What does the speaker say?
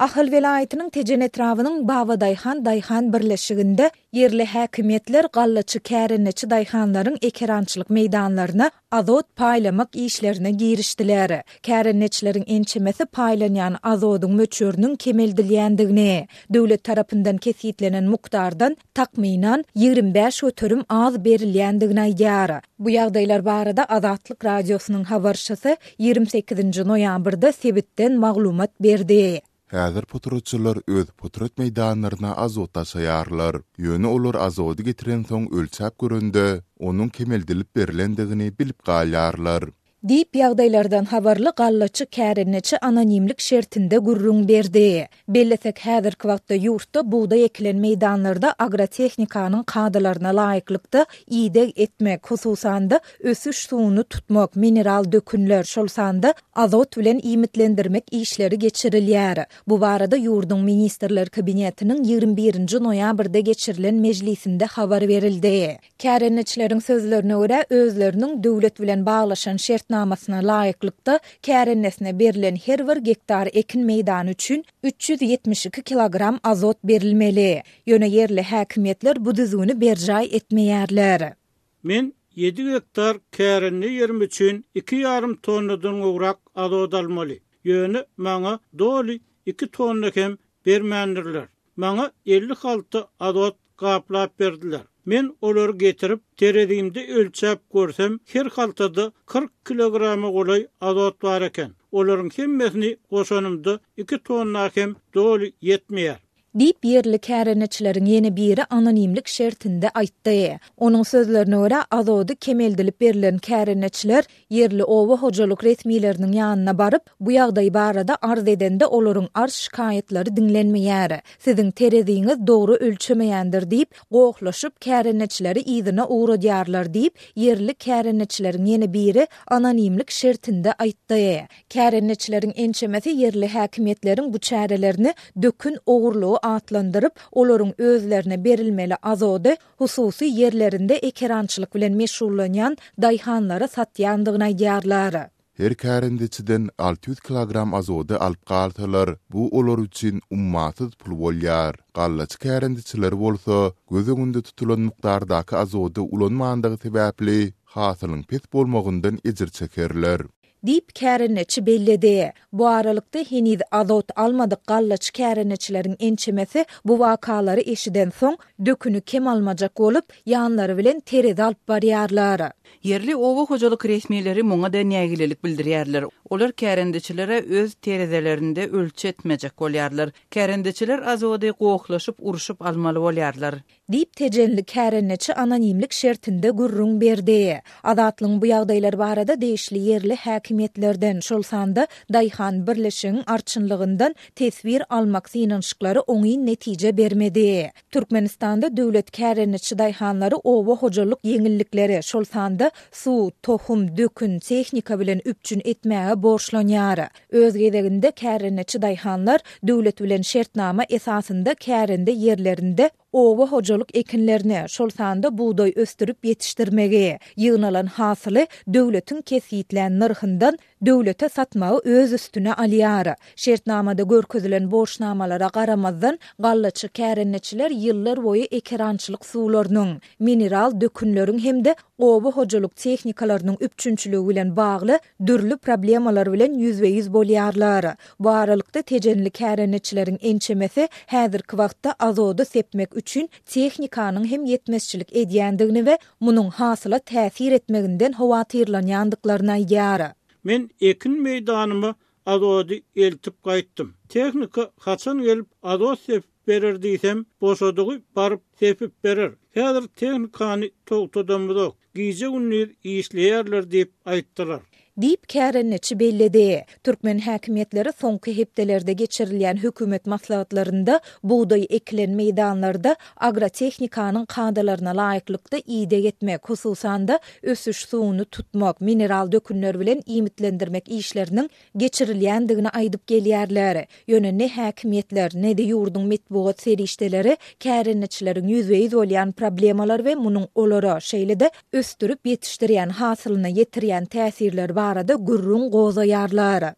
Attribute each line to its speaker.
Speaker 1: Ahal welaýatynyň Tejen etrabynyň Babadaýhan daýhan birleşiginde ýerli häkimiýetler gallaçy kärendeçi daýhanlaryň ekerançylyk meýdanlaryna azot paýlamak işlerine girişdiler. Kärendeçileriň ençemesi paýlanýan azodyň möçberiniň kemeldilýändigini, döwlet tarapyndan kesgitlenen mukdardan takmynan, 25% az berilýändigini aýdýar. Bu ýagdaýlar barada Azatlyk Radiosynyň habarçysy 28-nji noýabrda sebitden maglumat berdi.
Speaker 2: Häzir potratçylar öz potrat meýdanlaryna azot daşaýarlar. Ýöne olar azody getirensoň ölçäp görende, onuň kemeldilip berlendigini bilip galýarlar.
Speaker 1: Diýip, ýagdaýlardan habarly gallaçy kärendeçi anonimlik şertinde gürrüň berdi. Bellesek, häzirki wagtda ýurtda bugdaý ekilen meýdanlarda agrotehnikanyň kadalaryna laýyklykda ideg etmek, hususan-da, ösüş suwuny tutmak, mineral dökünler, şol sanda azot bilen iýmitlendirmek işleri geçirilýär. Bu barada ýurduň Ministrler Kabinetiniň 21 nji noýabrda geçirilen mejlisinde habar berildi. Kärendeçileriň sözlerine görä, özleriniň döwlet bilen baglaşan şertnamasyna laýyklykda, kärendesine berlen her bir gektar ekin meýdany üçin 372 kilogram azot berilmeli. Ýöne ýerli häkimiýetler bu düzgüni berjaý etmeýärler.
Speaker 3: Men ýedi gektar kärende ýerim üçin iki ýarym tonnadan gowrak azot almaly. Ýöne maňa doly iki tonna hem bermändirler. Maňa 50 halta azot gaplap berdiler. Men olary getirip, terezimde ölçäp görsem, her haltada 40 kilograma golaý azot bar eken. Olaryň hemmesini goşanymda iki tonna hem doly ýetmeýär.
Speaker 1: Diýip, ýerli kärendeçileriň ýene biri anonimlik şertinde aýtdy. Onuň sözlerine görä, azody kemeldilip berlen kärendeçiler Ýerli oba hojalyk resmileriniň ýanyna baryp, bu ýagdaý barada arz edende olaryň arz-şikaýatlary diňlenmeýär. Siziň tereziňiz dogry ölçemeýändir diýip, gohlaşyp, kärendeçileri yzyna ugradýarlar diýip, ýerli kärendeçileriň ýene biri anonimlik şertinde aýtdy. Kärendeçileriň ençemesi ýerli häkimiýetleriň bu çärelerini dökün ogurlygy atlandyryp, olaryň özlerine berilmeli azody hususy ýerlerinde ekerançylyk bilen meşgullanýan daýhanlara satýandygyny aýdýarlar.
Speaker 2: Her kärendeçiden 600 kilogram azody alyp galsalar, bu olar üçin ummasyz pul bolýar. Gallaçy kärendeçiler bolsa, göz öňünde tutulan mukdardaky azody ulanmandygy sebäpli, hasylyň pes bolmagyndan ejir çekerler.
Speaker 1: Diýip, kärendeçi belledi. Bu aralykda, heniz azot almadyk gallaçy kärendeçileriň ençemesi bu wakalary eşidensoň, döküni kem almajak bolup, ýanlary bilen terezi alyp barýarlar.
Speaker 4: Ýerli oba hojalyk resmileri muňa-da nägilelik bildirýärler. Olar kärendeçilere öz terezelerinde ölçetmejek bolýarlar. Kärendeçiler azody gohlaşyp, urşup almaly bolýarlar.
Speaker 1: Diýip, tejenli kärendeçi anonimlik şertinde gürrüň berdi. Azatlygyň bu ýagdaýlar barada degişli ýerli häkimiýetlerden, şol sanda daýhan birleşigiň arçynlygyndan teswir almak synanyşyklary oňyn netije bermedi. Türkmenistanda döwlet kärendeçi daýhanlary oba hojalyk ýeňillikleri, şol sanda suw, tohum, dökün, tehnika bilen üpjün etmäge borçlanýar. Öz gezeginde kärendeçi daýhanlar döwlet bilen şertnama esasynda kärende ýerlerinde oba hojalyk ekinlerini, şol sanda bugdaý ösdürip ýetişdirmegi, ýygnalan hasyly döwletiň kesgitlän nyrhyndan döwlete satmagy öz üstüne alýar. Şertnamada görkezilen borçnamalara garamazdan, gallaçy kärendeçiler ýyllar boýy ekerançylyk suwlarynyň, mineral dökünleriň hem-de oba hojalyk tehnikalarynyň üpjünçiligi bilen bagly dürli problemalar bilen ýüzbe-ýüz bolýarlar. Bu aralykda, tejenli kärendeçileriň ençemesi häzirki wagtda azody sepmek üçin tehnikanyň hem ýetmezçilik edýändigini we munuň hasyla täsir etmeginden howatyrlanýandyklaryny aýdýar.
Speaker 3: Men ekin meýdanyma azody eltip gaýtdym. Tehnika haçan gelip azot sepip berer diýsem, boşadygy baryp sepip berer. Häzir tehnikany togtadamyzok. Gije-gündiz işleýärler diýip aýtdylar.
Speaker 1: Diýip, kärendeçi belledi. Türkmen häkimiýetleri soňky hepdelerde geçirilýän hökümet maslahatlarynda bugdaý ekilen meýdanlarda agrotehnikanyň kadalaryna laýyklykda ideg etmek, hususan-da, ösüş suwuny tutmak, mineral dökünler bilen iýmitlendirmek işleriniň geçirilýändigini aýdyp gelýärler. Ýöne ne häkimiýetler, ne-de ýurduň metbugat serişdeleri kärendeçileriň ýüzbe-ýüz bolýan problemalar we munuň olara, şeýle-de ösdürip ýetişdirýän hasylyna ýetirýän täsirleri barada gürrüň gozgaýarlar.